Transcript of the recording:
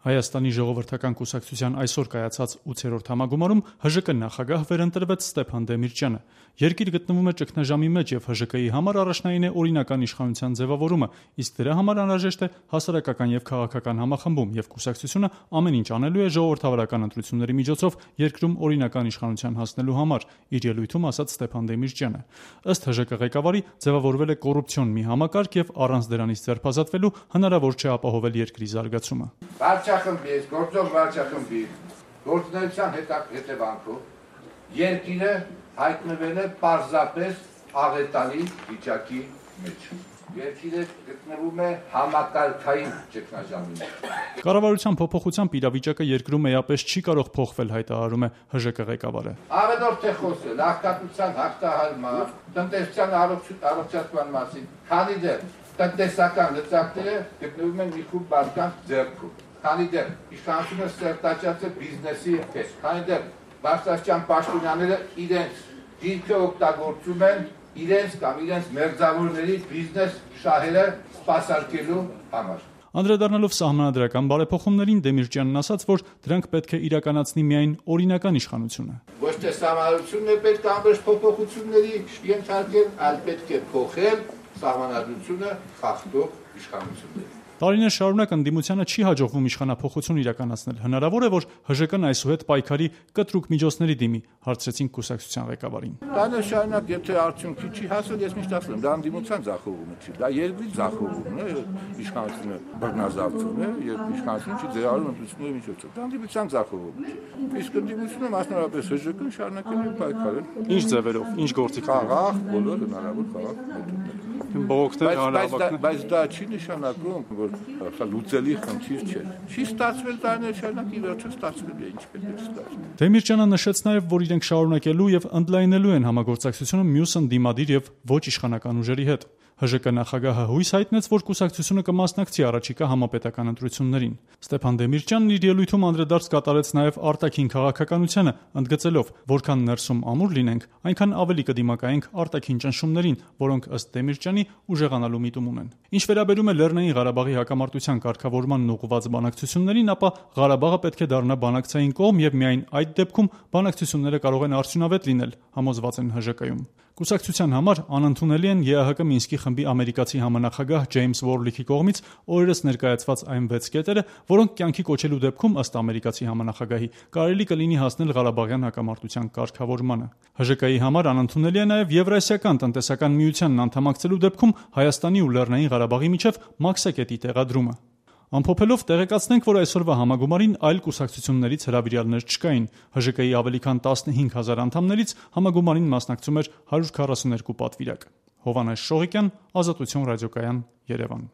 Հայաստանի ժողովրդական կուսակցության այսօր կայացած 8-րդ համագումարում ՀԺԿ նախագահ վերընտրվեց Ստեփան Դեմիրճյանը։ Երկիր գտնվում է ճգնաժամի մեջ եւ ՀԺԿ-ի համար առաջնային է օրինական իշխանության ձևավորումը, իսկ դրա համար անհրաժեշտ է հասարակական եւ քաղաքական համախմբում, եւ կուսակցությունը ամեն ինչ անելու է ժողովրդավարական ընտրությունների միջոցով երկրում օրինական իշխանության հասնելու համար, իր ելույթում ասաց Ստեփան Դեմիրճյանը։ Ըստ ՀԺԿ ղեկավարի ձևավորվել է կոռուպցիոն մի համակարգ եւ առանց դրանից ձերբազատվելու հնարավոր չէ ապահովել երկրի զարգացումը։ Վարչախմբի, գործող վարչախմբի գործունեության հետևանքով երկիրը հայտնվել է պարզապես աղետալի վիճակի մեջ։ Երկիրը գտնվում է համակարգային ճգնաժամի մեջ։ Կառավարության փոփոխությամբ իրավիճակը երկրում էապես չի կարող փոխվել, հայտարարում է ՀԺԿ ղեկավարը։ Ավելորդ է խոսել աղքատության հաղթահարման, տնտեսության առողջացման մասին, քանի դեռ տնտեսական լծակները գտնվում են մի խումբ մարդկանց ձեռքում։ Քանի դեռ իշխանությունը սերտաճած է բիզնեսի հետ, քանի դեռ բարձրաստիճան պաշտոնյաները իրենց դիրքը օգտագործում են իրենց կամ իրենց մերձավորների բիզնես շահերը սպասարկելու համար։ Անդրադառնալով սահմանադրական բարեփոխումներին Դեմիրճյանն ասաց, որ դրանք պետք է իրականացնի միայն օրինական իշխանությունը։ Ոչ թե սահմանադրությունն է պետք անվերջ փոփոխությունների ենթարկել, այլ պետք է փոխել սահմանադրությունը խախտող իշխանությունների։ Տարիներ շարունակ ընդդիմությանը չի հաջողվում իշխանափոխություն իրականացնել։ Հնարավոր է, որ ՀԺԿ-ն այսուհետ պայքարի կտրուկ միջոցների դիմի, հարցրեցին կուսակցության ղեկավարին։ Տարիներ շարունակ եթե արդյունքի չի հասել, ես միշտ ասում եմ, դա ընդդիմության ձախողումը չի, դա երկրի ձախողումն է, իշխանությունը բռնազավթում է եւ իշխանությունը չի ձեռարում ընդդիմությունների միջոցով։ Դա ընդդիմության ձախողում չի։ Իսկ ընդդիմությունը մասնավորապես ՀԺԿ-ն շարունակել է պայքարել։ Ինչ ձևերով, ինչ գործիքներով։ Խաղաղ, բոլոր հնարավոր խաղաղ մեթոդներով։ Բայց դա չի նշանակում, որ լուծելի խնդիր չէ։ Չի ստացվել տարիներ շարունակ, ի վերջո ստացվել է, ինչ պետք է ստացվի։ Դեմիրճյանը նշեց նաև, որ իրենք շարունակելու եւ ընդլայնելու են համագործակցությունը մյուս ընդդիմադիր եւ ոչ իշխանական ուժերի հետ։ ՀԺԿ նախագահը հույս հայտնեց, որ կուսակցությունը կմասնակցի առաջիկա համապետական ընտրություններին։ Ստեփան Դեմիրճյանն իր ելույթում անդրադարձ կատարեց նաև արտաքին քաղաքականությանը, ընդգծելով, որքան ներսում ամուր լինենք, այնքան ավելի կդիմակայենք արտաքին ճնշումներին, որոնք ըստ Դեմիրճյանի ուժեղանալու միտում ունեն։ Ինչ վերաբերում է Լեռնային Ղարաբաղի հակամարտության կարգավորմանն ուղղված բանակցություններին, ապա Ղարաբաղը պետք է դառնա բանակցային կողմ եւ միայն այդ դեպքում բանակցությունները կարող են արդյունավետ լինել, համոզված են ՀԺԿ-ում։ Կուսակցության համար անընդունելի են ԵԱՀԿ Մինսկի խմբի ամերիկացի համանախագահ Ջեյմս Վորլիքի կողմից օրերս ներկայացված այն 6 կետերը, որոնք կյանքի կոչելու դեպքում ըստ ամերիկացի համանախագահի կարելի կլինի հասնել Ղարաբաղյան հակամարտության կարգավորմանը։ ՀԺԿ-ի համար անընդունելի է նաև Եվրասիական տնտեսական միությանն անդամակցելու դեպքում Հայաստանի ու Լեռնային Ղարաբաղի միջև մաքսակետի տեղադրումը։ Ամփոփելով տեղեկացնենք, որ այսօրվա համագումարին այլ կուսակցություններից հրավիրյալներ չկային։ ՀԺԿ-ի ավելի քան 15,000 անդամներից համագումարին մասնակցում էր 142 պատվիրակ։ Հովհաննես Շողիկյան, Ազատություն ռադիոկայան, Երևան։